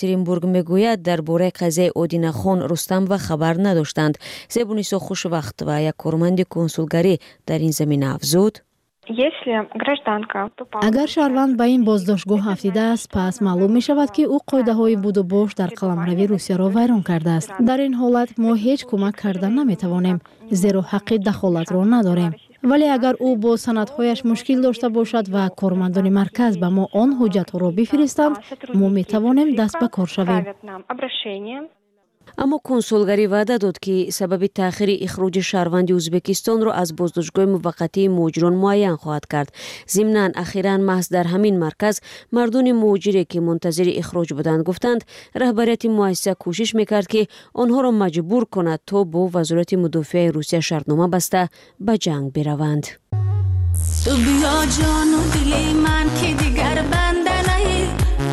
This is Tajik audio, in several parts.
Екатеринбург мегӯяд, дар бораи қазияи Одинахон Рустамова хабар надоштанд. Зебунисо Хушвақт ва як корманди консулгарӣ дар ин замина афзуд: Агар шаҳрванд ба ин боздоштгоҳ афтидааст, пас маълум мешавад, ки ӯ қоидаҳои будубош дар қаламрави Русияро вайрон кардааст. Дар ин ҳолат мо ҳеҷ кӯмак карда наметавонем, зеро ҳаққи дахолатро надорем. Вале агар ӯ бо санадҳояш мушкил дошта бошад ва кормандони марказ ба мо он ҳуҷҷатҳоро бифиристанд, мо метавонем даст ба кор шавем. Аммо консулгарӣ ваъда дод, ки сабаби таъхири ихроҷи шаҳрванди Ӯзбекистонро аз боздоштгоҳи муваққатии муҳоҷирон муайян хоҳад кард. Зимнан, ахиран маҳз дар ҳамин марказ мардони муҳоҷире, ки мунтазири ихроҷ буданд, гуфтанд, раҳбарияти муассиса кӯшиш мекард, ки онҳоро маҷбур кунад, то бо Вазорати мудофиаи Русия шартнома баста ба ҷанг бираванд. Ту биё, ҷону дили ман, ки дигар банда наӣ,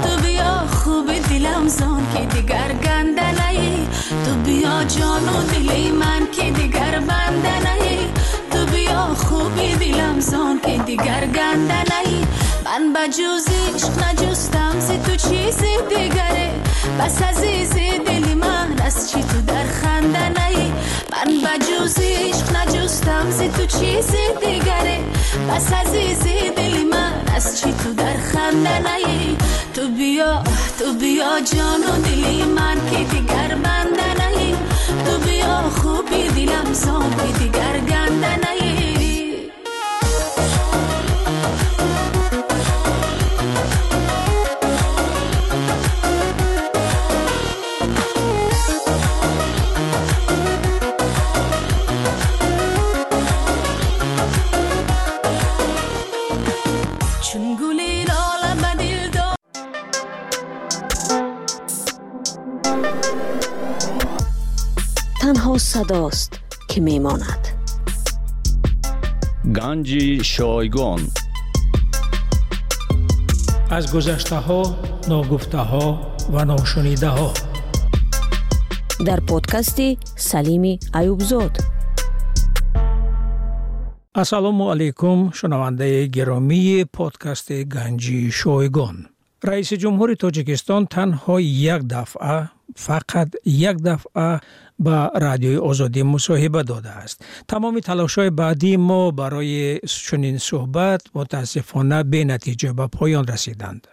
ту биё, хуби дилам зон, ки дигар ганда наӣ, ту биё, ҷону дили ман, ки дигар банда наӣ, ту биё, хуби дилам зон, ки дигар ганда наӣ. Ман ба ҷуз ишқ наҷустам зи ту чизи дигаре, бас азизи дили ман, аз чӣ ту дар ханда наӣ? Ман ба ҷуз ишқ наҷустам зи ту чизи дигаре, бас азизи дили ман, аз чӣ ту дар ханда наӣ? Ту биё, ту биё, ҷону дили ман, ки дигар банда наӣ, ту биё, хуби дилам зон, ки дигар ганда наӣ. Танҳо садост, ки мемонад. Ганҷи шойгон. Аз гузаштаҳо, ногуфтаҳо ва ношунидаҳо. Дар подкасти Салими Аюбзод. Ассалому алайкум, шунавандаи гиромии подкасти Ганҷи шойгон. Раиси ҷумҳури Тоҷикистон танҳо як дафъа, фақат як дафъа ба Радиои Озодӣ мусоҳиба додааст. Тамоми талошҳои баъдии мо барои чунин суҳбат мутаассифона бенатиҷа ба поён расиданд.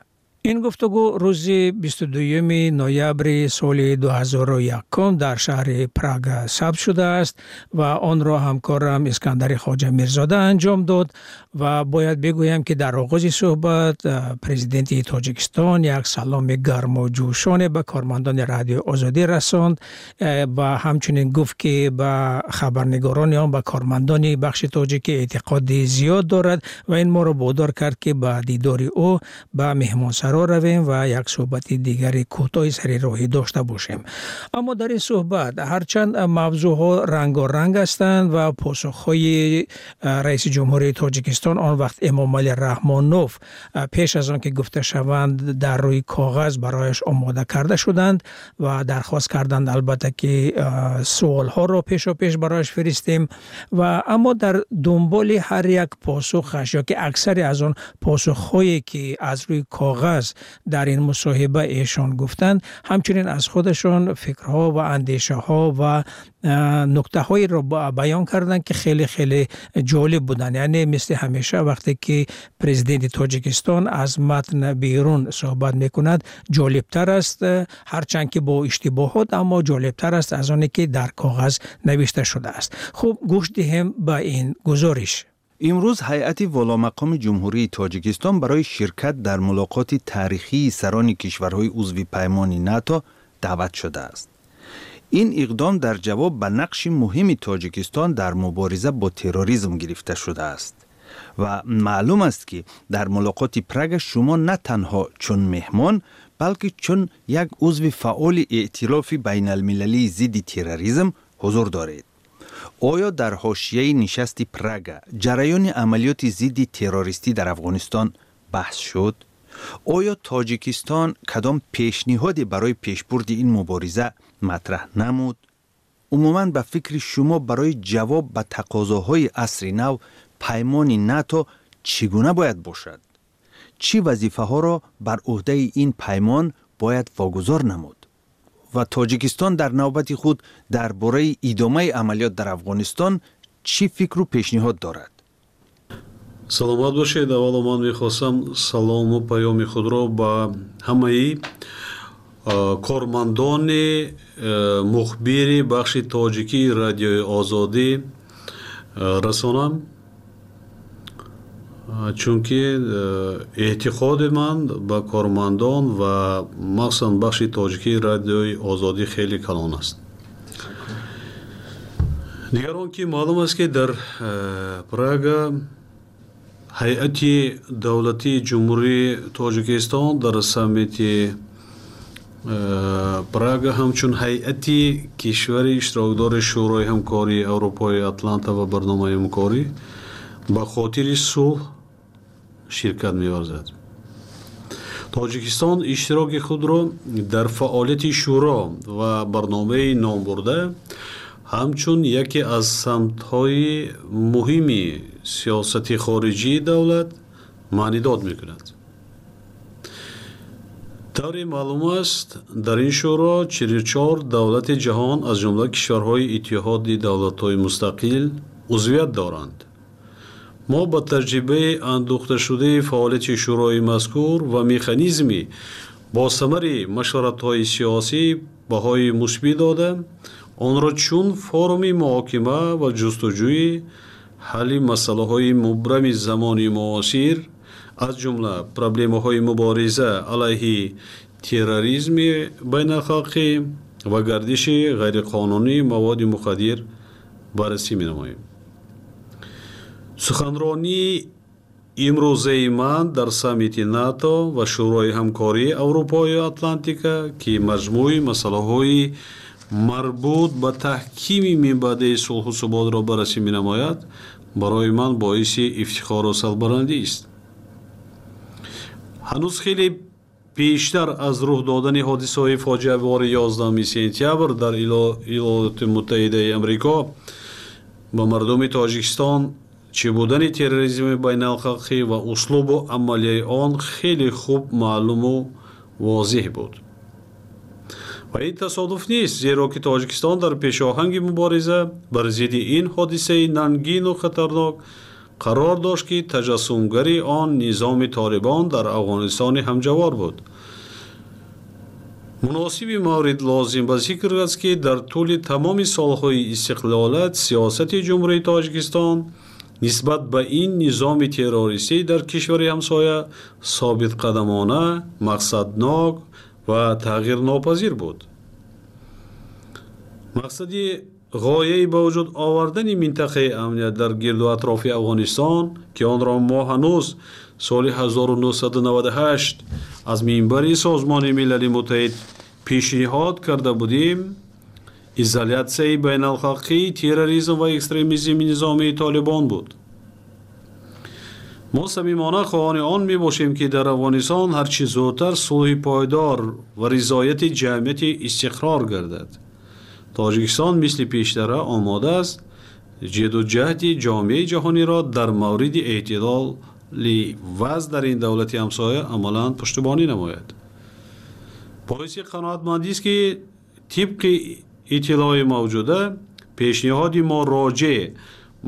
Ин гуфтугӯ рӯзи 22 ноябри соли 2001 дар шаҳри Прага сабт шудааст ва онро ҳамкорам Искандари Хоҷа Мирзода анҷом дод. Ва бояд бигӯям, ки дар оғози суҳбат президенти Тоҷикистон як саломи гарму ҷӯшоне ба кормандони Радиои Озодӣ расонд ва ҳамчунин гуфт, ки ба хабарнигорони он, ба кормандони бахши тоҷикӣ эътиқоди зиёд дорад ва ин моро водор кард, ки ба дидори ӯ ба меҳмонсаро равем ва як суҳбати дигари кӯтоҳи сари роҳӣ дошта бошем. Аммо дар ин суҳбат ҳарчанд мавзӯъҳо рангоранг ҳастанд ва посухҳои раиси ҷумҳурии Тоҷикистон он вақт Эмомалӣ Раҳмонов пеш аз он ки гуфта шаванд, дар рӯи коғаз барояш омода карда шуданд ва дархост карданд, албатта, ки суолҳоро пешопеш барояш фиристем. Ва аммо дар дунболи ҳар як посухаш ё ки аксари аз он посухҳое ки аз рӯи коғаз дар ин мусоҳиба эшон гуфтанд, ҳамчунин аз худашон фикрҳо ва андешаҳо ва нуктаҳоеро баён карданд, ки хеле хеле ҷолиб буданд. Яъне мисли ҳамеша, вақте ки президенти Тоҷикистон аз матн берун суҳбат мекунад, ҷолибтар аст, ҳарчанд ки бо иштибоҳот, аммо ҷолибтар аст аз оне ки дар коғаз навишта шудааст. Хуб, гӯш диҳем ба ин гузориш. Имрӯз ҳайати воломақоми Ҷумҳурии Тоҷикистон барои ширкат дар мулоқоти таърихии сарони кишварҳои узви паймони НАТО даъват шудааст. Ин иқдом дар ҷавоб ба нақши муҳими Тоҷикистон дар мубориза бо терроризм гирифта шудааст. Ва маълум аст, ки дар мулоқоти Прага шумо на танҳо чун меҳмон, балки чун як узви фаъоли эътилофи байналмилалии зидди терроризм ҳузур доред. Оё дар ҳошияи нишасти Прага ҷараёни амалиёти зидди террористӣ дар Афғонистон баҳс шуд? Оё Тоҷикистон кадом пешниҳоде барои пешбурди ин мубориза матраҳ намуд? Умуман, ба фикри шумо, барои ҷавоб ба тақозоҳои асри нав паймони НАТО чӣ гуна бояд бошад? Чӣ вазифаҳоро бар ӯҳдаи ин паймон бояд вогузор намуд? Ва Тоҷикистон дар навбати худ дар бораи идомаи амалиёт дар Афғонистон чӣ фикру пешниҳод дорад? Саломат бошед. Аввало ман мехостам салому паёми худро ба ҳамаи кормандони мухбири бахши тоҷикии Радиои Озодӣ расонам, чунки эътиқоди ман ба кормандон ва махсусан бахши тоҷикии Радиои Озодӣ хеле калон аст. Дигар он ки маълум аст, ки дар Прага ҳайати давлатии Ҷумҳурии Тоҷикистон дар саммити Прага ҳамчун ҳайати кишвари иштирокдори Шӯрои ҳамкории Аврупои Атланта ва барномаи ҳамкорӣ ба хотири сулҳ ширкат меварзад. Тоҷикистон иштироки худро дар фаъолияти шӯро ва барномаи номбурда ҳамчун яке аз самтҳои муҳими сиёсати хориҷии давлат маънидод мекунад. Тавре маълум аст, дар ин шӯро 44 давлати ҷаҳон, аз ҷумла кишварҳои Иттиҳоди Давлатҳои Мустақил, узвият доранд. Мо ба таҷрибаи андӯхташудаи фаъолияти шӯрои мазкур ва механизми босамари машваратҳои сиёсӣ баҳои мусбӣ дода, онро чун форуми муҳокима ва ҷустуҷӯи ҳалли масъалаҳои мубрами замони муосир, аз ҷумла проблемаҳои мубориза алайҳи терроризми байналхалқӣ ва гардиши ғайриқонунии маводи мухаддир, баррасӣ менамоем. Суханронии имрӯзаи ман дар саммити НАТО ва Шӯрои ҳамкории Аврупою Атлантика, ки маҷмӯи масъалаҳои марбут ба таҳкими минбаъдаи сулҳу суботро баррасӣ менамояд, барои ман боиси ифтихору сарбаландист. Ҳанӯз хеле пештар аз рух додани ҳодисаҳои фоҷиавори 11 сентябр дар Иёлоти Муттаҳидаи Амрико ба мардуми Тоҷикистон чӣ будани терроризми байналхалқӣ ва услубу амалияи он хеле хуб маълуму возеҳ буд. Ва ин тасодуф нест, зеро ки Тоҷикистон дар пешоҳанги мубориза бар зидди ин ҳодисаи нангину хатарнок қарор дошт, ки таҷассумгари он низоми Толибон дар Афғонистони ҳамҷавор буд. Муносиби маврид лозим ба зикр аст, ки дар тӯли тамоми солҳои истиқлолият сиёсати Ҷумҳурии Тоҷикистон нисбат ба ин низоми террористӣ дар кишвари ҳамсоя собитқадамона, мақсаднок ва тағйирнопазир буд. Мақсади ғояи ба вуҷуд овардани минтақаи амният дар гирду атрофи Афғонистон, ки онро мо ҳанӯз соли 1998 аз минбари Созмони Милали Муттаҳид пешниҳод карда будем, изолятсияи байналхалқии терроризм ва экстремизми низомии Толибон буд. Мо самимона хоҳони он мебошем, ки дар Афғонистон ҳарчи зудтар сулҳи пойдор ва ризояти ҷамъияти истиқрор гардад. Тоҷикистон мисли пештара омода аст ҷидду ҷаҳди ҷомеаи ҷаҳониро дар мавриди эътидоли вазъ дар ин давлати ҳамсоя амалан пуштибонӣ намояд. Боиси қаноатмандист, ки тибқи иттилои мавҷуда пешниҳоди мо роҷеъ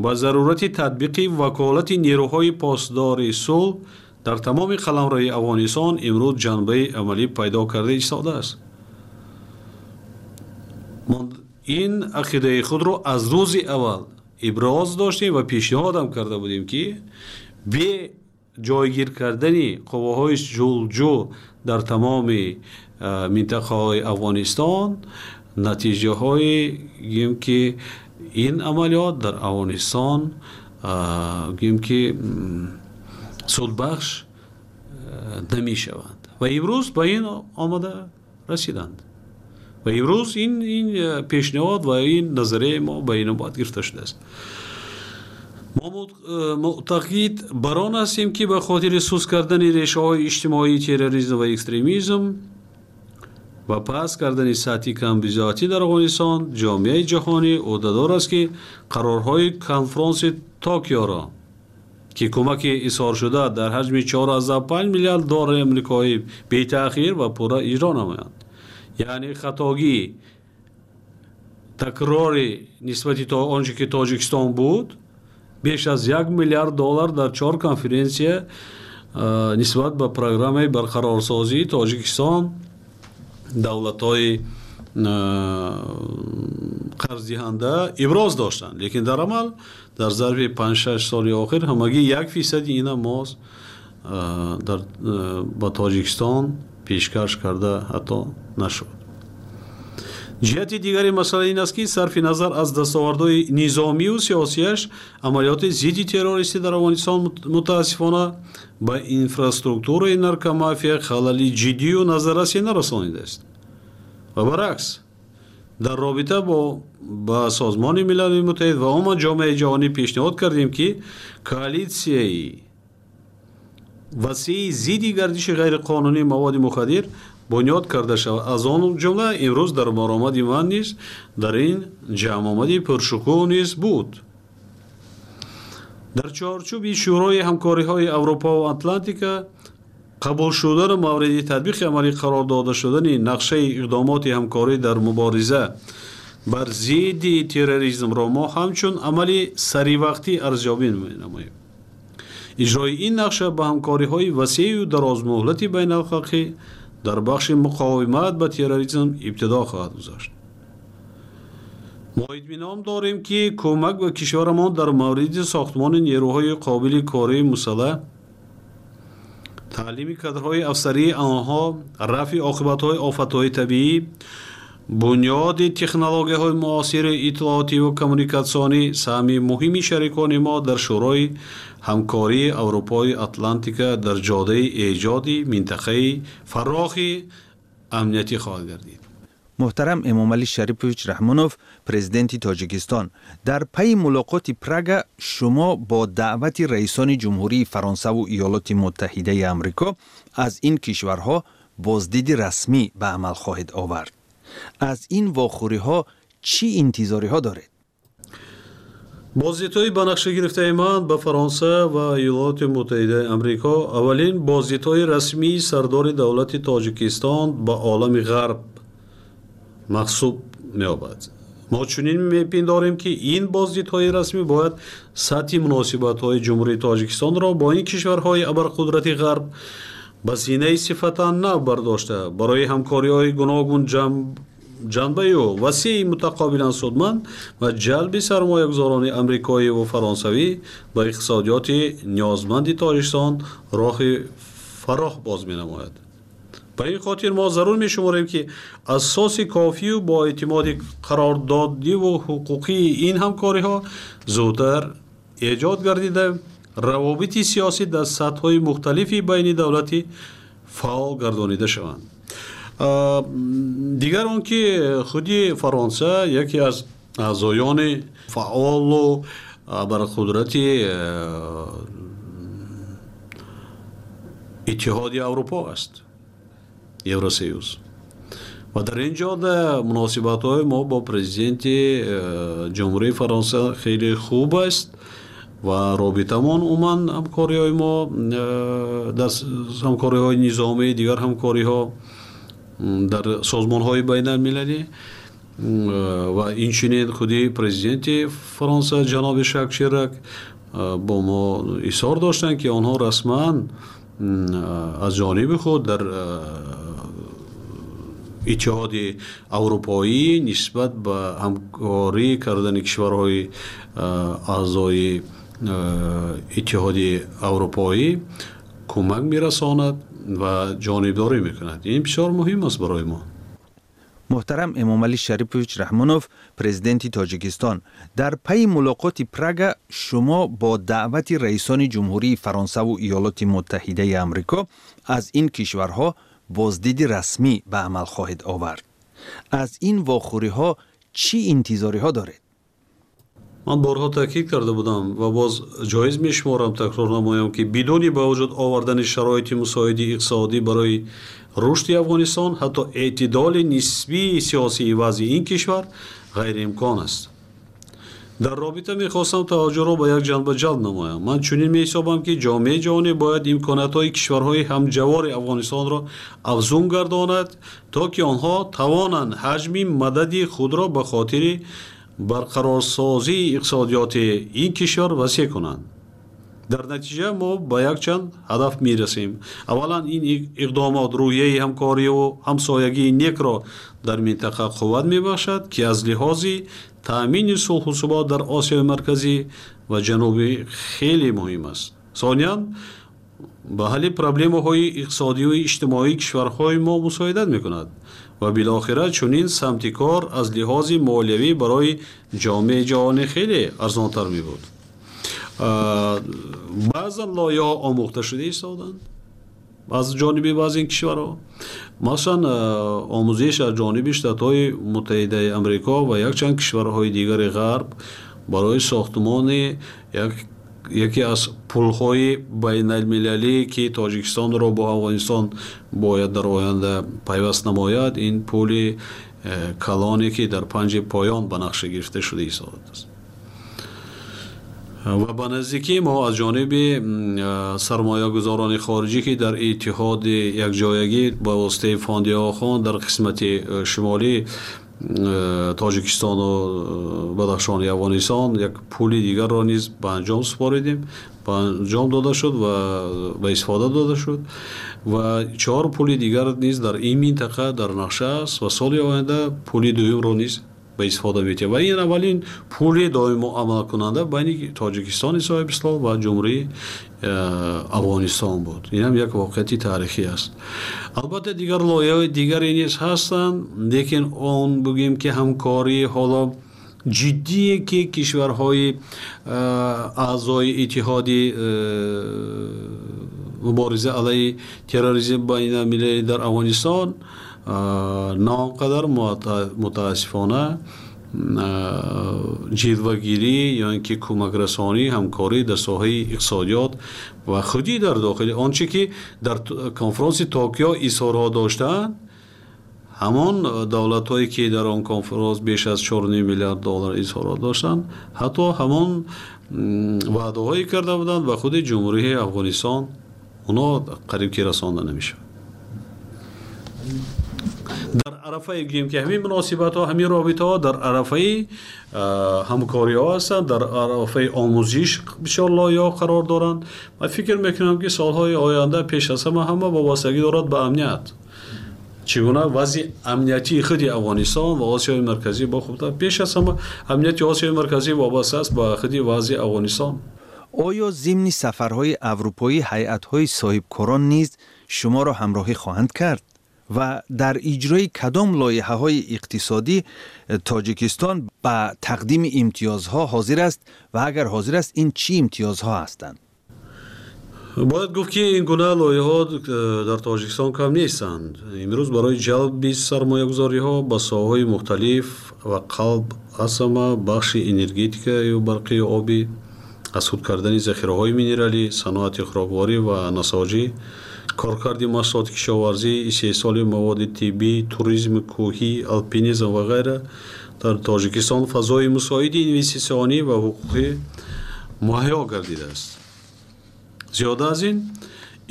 ба зарурати татбиқи ваколати нерӯҳои посдори сулҳ дар тамоми қаламрави Афғонистон имрӯз ҷанбаи амалӣ пайдо карда истодааст. Мо ин ақидаи худро аз рӯзи аввал иброз доштем ва пешниҳодам карда будем, ки бе ҷойгир кардани қувваҳои сулҳҷӯ дар тамоми минтақаҳои Афғонистон натиҷаҳои гӯем ки ин амалиёт дар Афғонистон гӯем ки судбахш намешаванд. Ва имрӯз ба ин омада расиданд ва имрӯз ин пешниҳод ва ин назарияи мо ба инобат гирифта шудааст. Мо муътақид бар он ҳастем, ки ба хотири суст кардани решаҳои иҷтимоии терроризм ва экстремизм ва паст кардани сатҳи камбизоатӣ дар Афғонистон ҷомеаи ҷаҳонӣ ӯҳдадор аст, ки қарорҳои конфронси Токиоро ки кӯмаки изҳоршуда дар ҳаҷми 4,5 миллиард доллари амрикоӣ бетаъхир ва пурра иҷро намоянд. Яъне хатогӣ такрори нисбати он чӣ ки Тоҷикистон буд, беш аз 1 миллиард доллар дар 4 конференсия нисбат ба программаи барқарорсозии Тоҷикистон давлатҳои қарздиҳанда иброз доштанд, лекин дар амал дар зарфи 5-6 соли охир ҳамагӣ 1% ина моз ба Тоҷикистон пешкаш карда ҳатто нашуд. Ҷиҳати дигари масъала ин аст, ки сарфи назар аз дастовардҳои низомию сиёсияш, амалиёти зидди террористӣ дар Афғонистон мутаассифона ба инфраструктураи наркомафия халали ҷиддию назаррасе нарасонидааст. Ва баръакс, дар робита ба Созмони Милали Муттаҳид ва умуман ҷомеаи ҷаҳонӣ пешниҳод кардем, ки коалитсияи васеи зидди гардиши ғайриқонунии маводи мухаддир бунёд карда шавад. Аз он ҷумла имрӯз дар баромади ман низ дар ин ҷамъомади пуршукӯҳ низ буд. Дар чорчӯби Шӯрои ҳамкориҳои Аврупо ва Атлантика қабул шудану мавриди татбиқи амалӣ қарор дода шудани нақшаи иқдомоти ҳамкорӣ дар мубориза бар зидди терроризмро мо ҳамчун амали саривақтӣ арзёбӣ менамоем. Иҷрои ин нақша ба ҳамкориҳои васеъу дарозмуҳлати байналхалқӣ дар бахши муқовимат ба терроризм ибтидо хоҳад гузошт. Мо итминон дорем, ки кӯмак ба кишварамон дар мавриди сохтмони нерӯҳои қобили кории мусаллаҳ, таълими кадрҳои афсарии онҳо, рафъи оқибатҳои офатҳои табиӣ, бунёди технологияҳои муосири иттилоотиву коммуникатсионӣ саҳми муҳими шарикони мо дар Шӯрои ҳамкории Аврупои Атлантика дар ҷодаи эҷоди минтақаи фарохи амниятӣ хоҳад гардид. Муҳтарам Эмомалӣ Шарипович Раҳмонов, президенти Тоҷикистон, дар пайи мулоқоти Прага шумо бо даъвати раисони Ҷумҳурии Фаронсаву Иёлоти Муттаҳидаи Амрико аз ин кишварҳо боздиди расмӣ ба амал хоҳед овард. Аз ин вохӯриҳо чӣ интизориҳо доред? Боздидҳои ба нақша гирифтаи ман ба Фаронса ва Иёлоти Муттаҳидаи Амрико аввалин боздидҳои расмии сардори давлати Тоҷикистон ба олами ғарб махсуб меёбад. Мо чунин мепиндорем, ки ин боздидҳои расмӣ бояд сатҳи муносибатҳои Ҷумҳурии Тоҷикистонро бо ин кишварҳои абарқудрати ғарб ба зинаи сифатан нав бардошта, барои ҳамкориҳои гуногун ҷанбаю васеи мутақобилан судманд ва ҷалби сармоягузорони амрикоӣ ва фаронсавӣ ба иқтисодиёти ниёзманди Тоҷикистон роҳи фарох боз менамояд. Ба ин хотир мо зарур мешуморем, ки асоси кофию бо эътимоди қарордодиву ҳуқуқии ин ҳамкориҳо зудтар эҷод гардида, равобити сиёсӣ дар сатҳҳои мухталифи байни давлатӣ фаъол гардонида шаванд. Дигар он ки худи Фаронса яке аз аъзоёни фаъолу абарқудрати Иттиҳоди Аврупо аст, Евросоюз. Ва дар ин ҷода муносибатҳои мо бо президенти Ҷумҳурии Фаронса хеле хуб аст ва робитамон умуман ҳамкориҳои мо дар ҳамкориҳои низомӣ, дигар ҳамкориҳо дар созмонҳои байналмилалӣ ва инчунин худи президенти Фаронса ҷаноби Жак Ширак бо мо изҳор доштанд, ки онҳо расман аз ҷониби худ дар Иттиҳоди Аврупоӣ нисбат ба ҳамкорӣ кардани кишварҳои аъзои Иттиҳоди Аврупоӣ кӯмак мерасонад ва ҷонибдорӣ мекунад. Ин бисёр муҳим аст барои мо. Муҳтарам Эмомалӣ Шарипович Раҳмонов, президенти Тоҷикистон, дар пайи мулоқоти Прага шумо бо даъвати раисони Ҷумҳурии Фаронсаву Иёлоти Муттаҳидаи Амрико аз ин кишварҳо боздиди расмӣ ба амал хоҳед овард. Аз ин вохӯриҳо чӣ интизориҳо доред? Ман борҳо таъкид карда будам ва боз ҷоиз мешуморам такрор намоям, ки бидуни ба вуҷуд овардани шароити мусоиди иқтисодӣ барои рушди Афғонистон, ҳатто эътидоли нисбии сиёсии вазъи ин кишвар ғайриимкон аст. Дар робита мехостам таваҷҷӯҳро ба як ҷанба ҷалб намоям. Ман чунин меҳисобам, ки ҷомеаи ҷаҳонӣ бояд имкониятҳои кишварҳои ҳамҷавори Афғонистонро афзун гардонад, то ки онҳо тавонанд ҳаҷми мадади худро ба хотири барқарорсозии иқтисодиёти ин кишвар васеъ кунанд. Дар натиҷа мо ба якчанд ҳадаф мерасем. Аввалан, ин иқдомот рӯҳияи ҳамкориву ҳамсоягии некро дар минтақа қувват мебахшад, ки аз лиҳози таъмини сулҳу субот дар Осиёи Марказӣ ва Ҷанубӣ хеле муҳим аст. Сониян, ба ҳалли проблемаҳои иқтисодию иҷтимоии кишварҳои мо мусоидат мекунад ва билохира чунин самти кор аз лиҳози молиявӣ барои ҷомеаи ҷаҳонӣ хеле арзонтар мебуд. Баъзан лоиҳаҳо омӯхта шуда истоданд аз ҷониби баъзе ин кишварҳо. Масалан, омӯзиш аз ҷониби Штатҳои Муттаҳидаи Амрико ва якчанд кишварҳои дигари Ғарб барои сохтмони яке аз пулҳои байналмилалӣ, ки Тоҷикистонро бо Афғонистон бояд дар оянда пайваст намояд, ин пули калоне, ки дар панҷи поён ба нақша гирифта шуда истодааст. Ва ба наздикӣ мо аз ҷониби сармоягузорони хориҷӣ, ки дар иттиҳоди якҷоягӣ ба воситаи фонди Охон дар қисмати шимолӣ Тоҷикистону Бадахшони Афғонистон як пули дигарро низ ба анҷом супоридем, ба анҷом дода шуд ва ба истифода дода шуд, ва 4 пули дигар низ дар ин минтақа дар нақша аст ва соли оянда пули дуюмро низ ба истифода метиҳад. Ва ин аввалин пули доимо амалкунанда байни Тоҷикистони соҳибистиқлол ва Ҷумҳурии Афғонистон буд. Ин ҳам як воқеияти таърихӣ аст. Албатта, дигар лоиҳаҳои дигаре низ ҳастанд, лекин он бигӯем, ки ҳамкории ҳоло ҷиддие, ки кишварҳои аъзои иттиҳоди мубориза алайҳи терроризм байналмилалӣ дар Афғонистон на он қадар, мутаассифона, ҷилвагирӣ ё ин ки кӯмакрасонӣ, ҳамкорӣ дар соҳаи иқтисодиёт ва худӣ дар дохили он чӣ ки дар конфронси Токио изҳорҳо доштаанд, ҳамон давлатҳое, ки дар он конфронс беш аз 4,5 миллиард доллар изҳорот доштанд, ҳатто ҳамон ваъдаҳое карда буданд ба худи Ҷумҳурии Афғонистон, оно қариб ки расонда намешавад. Дар арафаи, гӯем ки, ҳамин муносибатҳо, ҳамин робитаҳо дар арафаи ҳамкориҳо ҳастанд, дар арафаи омӯзиш бисёр лоиҳаҳо қарор доранд. Ман фикр мекунам, ки солҳои оянда пеш аз ҳама вобастагӣ дорад ба амният, чӣ гуна вазъи амниятии худи Афғонистон ва Осиёи Марказӣ бо хубтар. Пеш аз ҳама амнияти Осиёи Марказӣ вобаста аст ба худи вазъи Афғонистон. Оё зимни сафарҳои аврупоӣ ҳайатҳои соҳибкорон низ шуморо ҳамроҳӣ хоҳанд кард ва дар иҷрои кадом лоиҳаҳои иқтисодӣ Тоҷикистон ба тақдими имтиёзҳо ҳозир аст ва агар ҳозир аст, ин чӣ имтиёзҳо ҳастанд? Бояд гуфт, ки ин гуна лоиҳаҳо дар Тоҷикистон кам нестанд. Имрӯз барои ҷалби сармоягузориҳо ба соҳаҳои мухталиф ва қалб аз ҳама бахши энергетикаю барқию обӣ, аз худ кардани захираҳои минералӣ, саноати хӯрокворӣ ва насоҷӣ, коркарди маҳсулоти кишоварзӣ, истеҳсоли маводи тиббӣ, туризми кӯҳӣ, алпинизм ва ғайра дар Тоҷикистон фазои мусоиди инвеститсионӣ ва ҳуқуқӣ муҳайё гардидааст. Зиёда аз ин,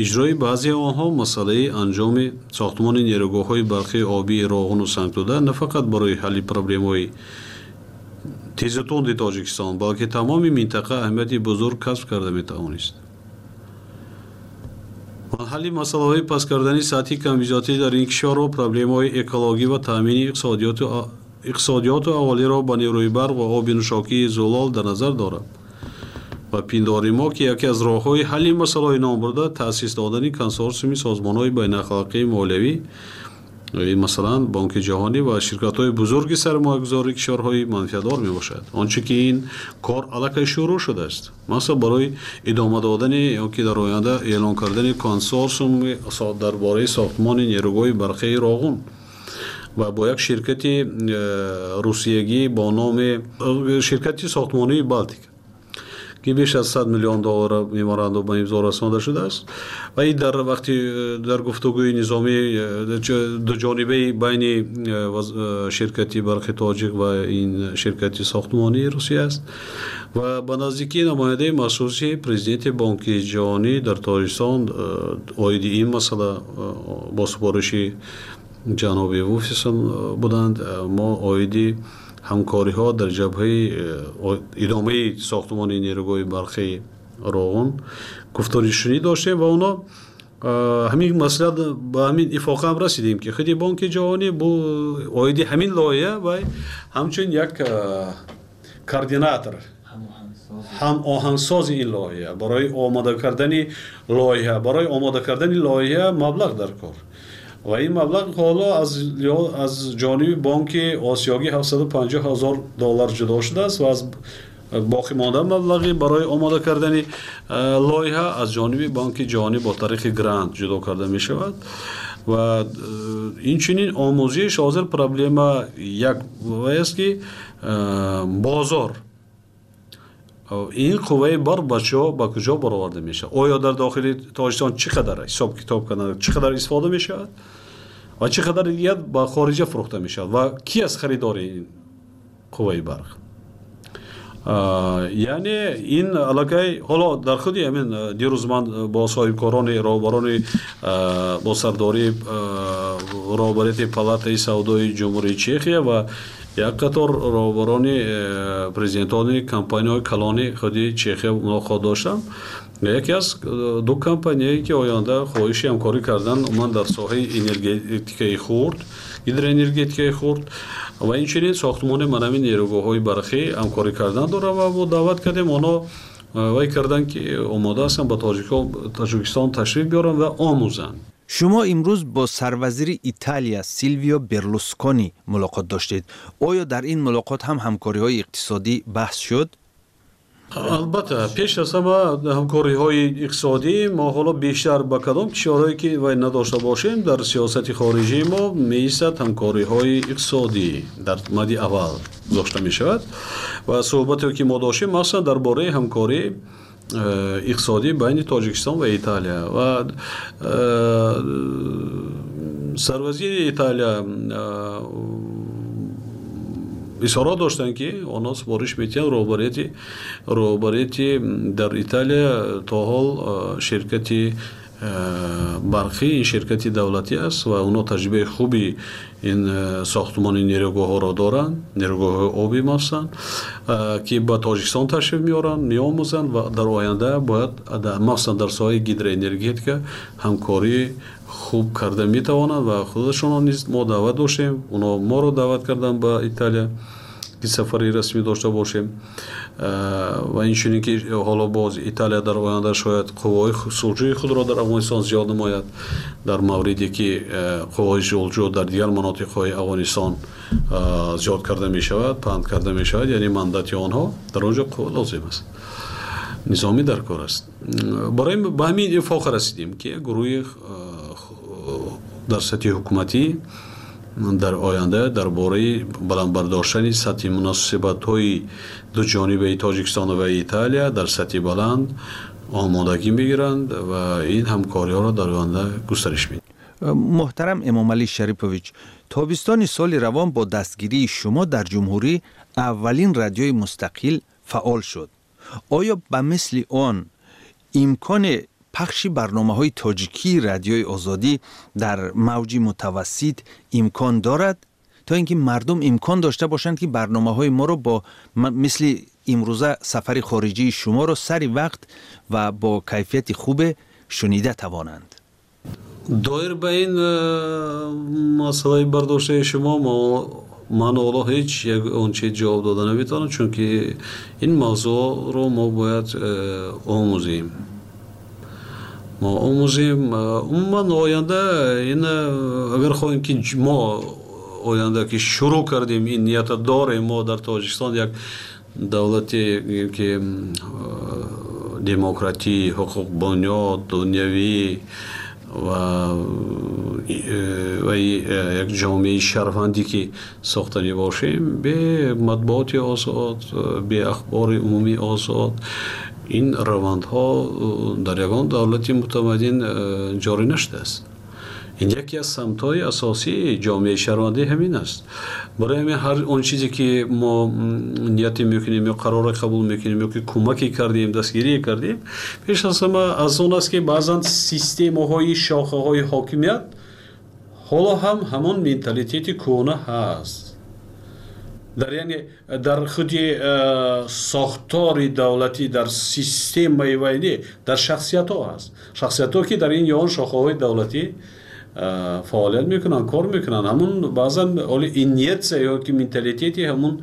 иҷрои баъзеи онҳо, масъалаи анҷоми сохтмони нерӯгоҳҳои барқии обии Роғуну Сангтӯда на фақат барои ҳалли проблемаҳои тезутунди Тоҷикистон, балки тамоми минтақа аҳамияти бузург касб карда метавонист. Ва ҳалли масъалаҳои паст кардани сатҳи камбизоатӣ дар ин кишварро, проблемаҳои экологӣ ва таъмини иқтисодиёту аҳолиро ба нерӯи барқ ва оби нӯшокии зулол дар назар дорад. Ва пиндори мо, ки яке аз роҳҳои ҳалли масъалаҳои номбурда таъсис додани консорсиуми созмонҳои байналхалқии молиявӣ, масалан, Бонки Ҷаҳонӣ ва ширкатҳои бузурги сармоягузории кишварҳои манфиатдор мебошад. Он чӣ ки ин кор аллакай шурӯъ шудааст, масалан, барои идома додани ё ки дар оянда эълон кардани консорсиум дар бораи сохтмони нерӯгоҳи барқии Роғун ва бо як ширкати русиягӣ бо номи ширкати сохтмонии Балтика, ки беш аз 100 миллион доллар меморандум ба имзо расонда шудааст ва ин дар вақти дар гуфтугӯи низомӣ дуҷонибаи байни ширкати барқи тоҷик ва ин ширкати сохтмонии Русия аст. Ва ба наздикӣ намояндаи махсуси президенти Бонки ҷаҳонӣ дар Тоҷикистон оиди ин масъала бо супориши ҷаноби Вуфисон буданд. Мо оиди ҳамкориҳо дар ҷабҳаи идомаи сохтмони нерӯгоҳи барқи Роғун гуфторишунӣ доштем ва онҳо ҳамин масъала ба ҳамин ифоқа ҳам расидем, ки худи Бонки ҷаҳонӣ оиди ҳамин лоиҳа ва ҳамчун як координатор, ҳамоҳангсози ин лоиҳа барои омода кардани лоиҳа, барои омода кардани лоиҳа маблағ дар кор ва ин маблағ ҳоло аз ҷониби Бонки Осиёгӣ 750 ҳазор доллар ҷудо шудааст ва аз боқӣ монда маблағи барои омода кардани лоиҳа аз ҷониби Бонки ҷаҳонӣ бо тариқи грант ҷудо карда мешавад. Ва инчунин омӯзиш ҳозир проблема як аст, ки бозор ин қувваи бар ба куҷо бароварда мешавад? Оё дар дохили Тоҷикистон чӣ қадар ҳисоб китоб кардан, чӣ қадар истифода мешавад ва чӣ қадар дигар ба хориҷа фурӯхта мешавад ва ки аст харидори ин қувваи барқ? Яъне ин аллакай ҳоло дар худи ҳамин дирӯз ман бо соҳибкорони роҳбарони бо сардории роҳбарияти палатаи савдои Ҷумҳурии Чехия ва як қатор роҳбарони президентони компанияҳои калони худи Чехия мулоқот доштам. Яке аз ду компанияе ки оянда хоҳиши ҳамкорӣ кардан умуман дар соҳаи энергетикаи хурд, гидроэнергетикаи хурд ва инчунин сохтмони манами нерӯгоҳҳои барқӣ ҳамкорӣ кардан дорад ва мо даъват кардем онҳо вай карданд, ки омода ҳастанд ба Тоҷикистон ташриф биёранд ва омӯзанд. Шумо имрӯз бо сарвазири Италия Силвио Берлускони мулоқот доштед. Оё дар ин мулоқот ҳам ҳамкориҳои иқтисодӣ баҳс шуд? Албатта, пеш аз ҳама ҳамкориҳои иқтисодӣ мо ҳоло бештар ба кадом кишварҳое ки вай надошта бошем, дар сиёсати хориҷии мо меистад ҳамкориҳои иқтисодӣ дар мади аввал гузошта мешавад ва суҳбате ки мо доштем махсусан дар бораи ҳамкории иқтисодӣ байни Тоҷикистон ва Италия ва сарвазири Италия изҳорот доштанд, ки онҳо супориш метиҳанд роҳбарияти дар Италия то ҳол ширкати барқӣ ин ширкати давлатӣ аст ва онҳо таҷрибаи хуби ин сохтмони нерӯгоҳҳоро доранд, нерӯгоҳҳои обӣ махсусан, ки ба Тоҷикистон ташриф меоранд, меомӯзанд ва дар оянда бояд махсусан дар соҳаи гидроэнергетика ҳамкории хуб карда метавонанд ва худашонро низ мо даъват доштем, онҳо моро даъват карданд ба Италия ки сафари расмӣ дошта бошем ва инчунин ки ҳоло боз Италия дар оянда шояд қувваҳои сулҳҷӯи худро дар Афғонистон зиёд намояд, дар мавриде ки қувваҳои сулҳҷӯ дар дигар манотиқҳои Афғонистон зиёд карда мешавад, паҳн карда мешавад, яъне мандати онҳо дар он ҷо қувва лозим аст, низомӣ дар кор аст. Барои ба ҳамин ифоқа расидем, ки гурӯҳи дар сатҳи ҳукуматӣ дар оянда дар бораи баланд бардоштани сатҳи муносибатҳои дуҷонибаи Тоҷикистон ва Италия дар сатҳи баланд омодагӣ мегиранд ва ин ҳамкориҳоро дар оянда густариш медиҳанд. Муҳтарам Эмомалӣ Шарипович, тобистони соли равон бо дастгирии шумо дар ҷумҳурӣ аввалин радиои мустақил фаъол шуд. Оё ба мисли он имкони пахши барномаҳои тоҷикии Радиои Озодӣ дар мавҷи мутавассит имкон дорад, то ин ки мардум имкон дошта бошанд, ки барномаҳои моро бо мисли имрӯза сафари хориҷии шуморо сари вақт ва бо кайфияти хубе шунида тавонанд? Доир ба ин масъалаи бардоштаи шумо ман ҳоло ҳеҷ як он чиз ҷавоб дода наметавонам, чунки ин мавзӯъро мо бояд омӯзем. Мо омӯзем умуман оянда ин агар хоҳем ки мо оянда ки шурӯъ кардем, ин нията дорем, мо дар Тоҷикистон як давлате ки демократӣ, ҳуқуқбунёд, дунявӣ ва як ҷомеаи шаҳрвандӣ ки сохтанӣ бошем, бе матбуоти озод, бе ахбори умумии озод, Ин равандҳо дар ягон давлати мутамаддин ҷорӣ нашудааст. Ин яке аз самтҳои асосии ҷомеаи шаҳрвандӣ ҳамин аст. Барои ҳамин ҳар он чизе ки мо нияте мекунем ё қароре қабул мекунем ё ки кӯмаке кардем, дастгирие кардем, пеш аз ҳама аз он аст, ки баъзан системаҳои шохаҳои ҳокимият ҳоло ҳам ҳамон менталитети кӯҳна ҳаст. Дар, яъне, дар худи сохтори давлатӣ, дар системаи вайнӣ, дар шахсиятҳо ҳаст, шахсиятҳо, ки дар ин ё он шохаҳои давлатӣ фаъолият мекунанд, кор мекунанд, ҳамун баъзан оли инерция ё ки менталитети ҳамун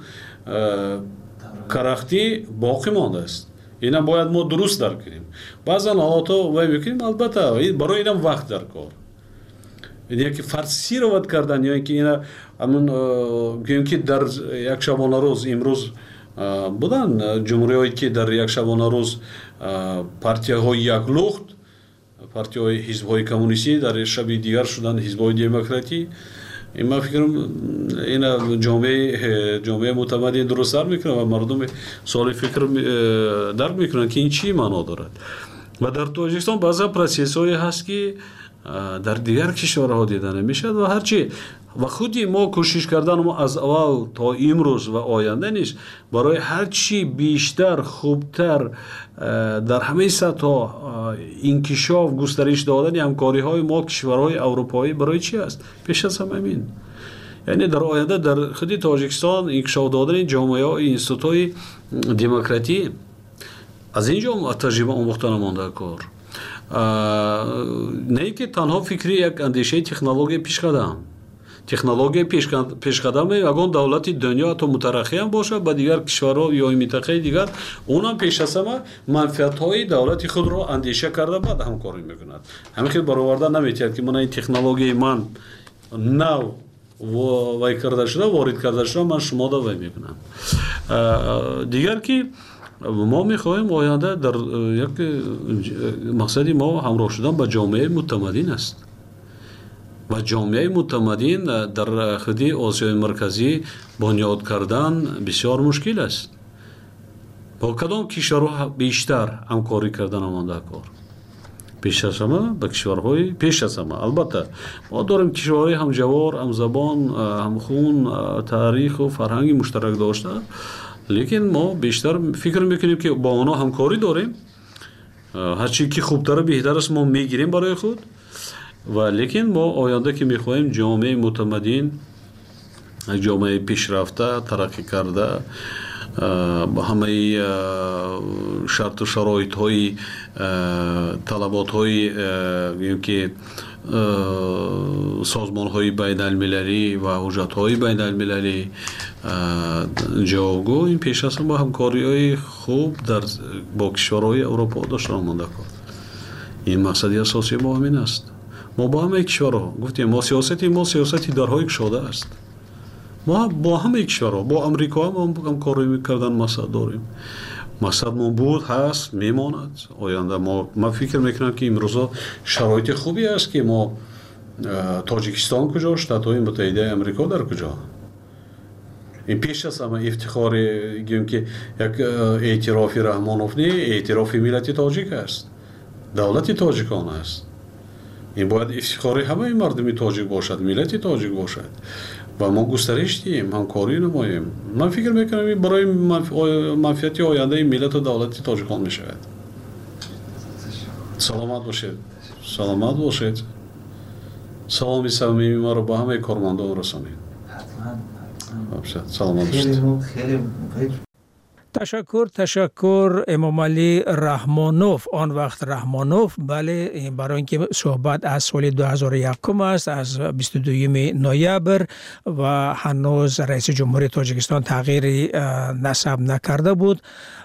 карахтӣ боқӣ мондааст. Ина бояд мо дуруст дарк кунем. Баъзан ҳолатҳо вай мекунем, албатта, барои инам вақт дар кор, яке форсировать кардан ё ин ки ина ҳамун гӯем, ки дар як шабонарӯз имрӯз будан ҷумҳуриҳое, ки дар як шабонарӯз партияҳои яклухт, партияҳои ҳизбҳои коммунистӣ, дар шаби дигар шуданд ҳизбҳои демократӣ. Ин, ман фикрам, ина ҷомеаи мутамаддин дуруст дарк мекунад ва мардуми соли фикр дарк мекунанд, ки ин чӣ маъно дорад. Ва дар Тоҷикистон баъзан процессҳое ҳаст, ки дар дигар кишварҳо дида намешавад. Ва ҳарчи ва худи мо кӯшиш кардан мо аз аввал то имрӯз ва оянда низ барои ҳарчи бештар, хубтар, дар ҳамаи сатҳҳо инкишоф, густариш додани ҳамкориҳои мо кишварҳои аврупоӣ барои чи аст? Пеш аз ҳама ҳамин, яъне дар оянда дар худи Тоҷикистон инкишоф додани ҷомеаҳо, институтҳои демократӣ, аз ин ҷо таҷриба омӯхта намонда кор. На ин ки танҳо фикри як андешаи технологияи пешқадам, технологияи пешқадаме ягон давлати дунё, ҳатто мутараққиам бошад, ба дигар кишварҳо ё минтақаи дигар, онам пеш аз ҳама манфиатҳои давлати худро андеша карда, баъд ҳамкорӣ мекунад. Ҳамин хел бароварда наметиҳад, ки мана ин технологияи ман нав вай карда шуда, ворид карда шуда, ман шумода вай мекунам. Дигар ки мо мехоҳем оянда дар як мақсади мо ҳамроҳ шудан ба ҷомеаи мутамаддин аст ва ҷомеаи мутамаддин дар худи Осиёи Марказӣ бунёд кардан бисёр мушкил аст. Бо кадом кишварҳо бештар ҳамкорӣ кардан омода кор? Пеш аз ҳама ба кишварҳои, пеш аз ҳама, албатта, мо дорем кишварҳои ҳамҷавор, ҳамзабон, ҳамхун, таъриху фарҳанги муштарак дошта, лекин мо бештар фикр мекунем, ки бо онҳо ҳамкорӣ дорем, ҳарчи ки хубтару беҳтар аст, мо мегирем барои худ. Ва лекин мо оянда ки мехоҳем ҷомеаи мутамаддин, ҷомеаи пешрафта, тараққӣ карда, ба ҳамаи шарту шароитҳои, талаботҳои, гӯем ки, созмонҳои байналмилалӣ ва ҳуҷҷатҳои байналмилалӣ ҷавобгӯ, ин пеш аз ҳама ҳамкориҳои хуб дар бо кишварҳои Аврупо доштан омода кор. Ин мақсади асосии мо ҳамин аст. Мо бо ҳамаи кишварҳо гуфтем, мо сиёсати мо сиёсати дарҳои кушода аст. Мо бо ҳамаи кишварҳо, бо Амрико ҳам ҳамкорӣ кардан мақсад дорем. Мақсадмон буд, ҳаст, мемонад. Оянда мо, ман фикр мекунам, ки имрӯзо шароити хубе аст, ки мо, Тоҷикистон куҷо, Штатҳои Муттаҳидаи Амрико дар куҷо. Ин пеш аз ҳама ифтихори, гӯем ки, як эътирофи Раҳмонов не, эътирофи миллати тоҷик аст, давлати тоҷикон аст. Ин бояд ифтихори ҳамаи мардуми тоҷик бошад, миллати тоҷик бошад ва мо густариш диҳем, ҳамкорӣ намоем. Ман фикр мекунам, ин барои манфиати ояндаи миллату давлати тоҷикон мешавад. Саломат бошед, саломат бошед. Саломи самимии маро ба ҳамаи кормандон расонед. Саломат бошед. Ташаккур, ташаккур, Эмомалӣ Раҳмонов, он вақт Раҳмонов. Бале, барои ин ки суҳбат аз соли 2001 аст, аз 22 ноябр, ва ҳанӯз раиси ҷумҳури Тоҷикистон тағйири насаб накарда буд.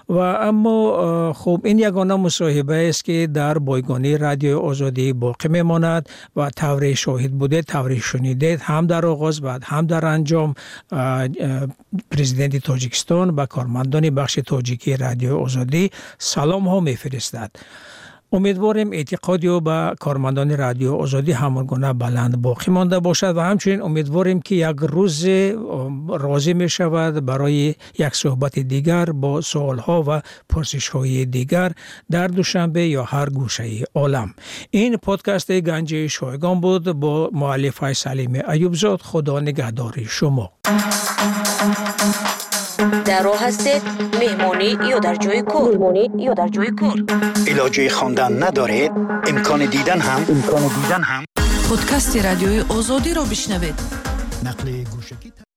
Ва аммо хуб, ин ягона мусоҳибаест, ки дар бойгонии Радиои Озодӣ боқӣ мемонад. Ва тавре шоҳид будед, тавре шунидед, ҳам дар оғоз ва ҳам дар анҷом президенти Тоҷикистон ба кормандони бахши тоҷикии Радиои Озодӣ саломҳо мефиристад. Умедворем, эътиқоди ӯ ба кормандони Радио Озодӣ ҳамон гуна баланд боқӣ монда бошад ва ҳамчунин умедворем, ки як рӯзе розӣ мешавад барои як суҳбати дигар бо суолҳо ва пурсишҳои дигар дар Душанбе ё ҳар гӯшаи олам. Ин подкасти Ганҷи шойгон буд бо муаллифаи Салими Аюбзод. Худо нигаҳдори шумо. Дар роҳ ҳастед, меҳмонӣ ё дар ҷои кор, меҳмонӣ ё дар ҷои кор, илоҷи хондан надоред, имкони дидан ҳам, имкони дидан ҳам Подкасти Радиои Озодиро бишнавед. Нақли гӯшакӣ.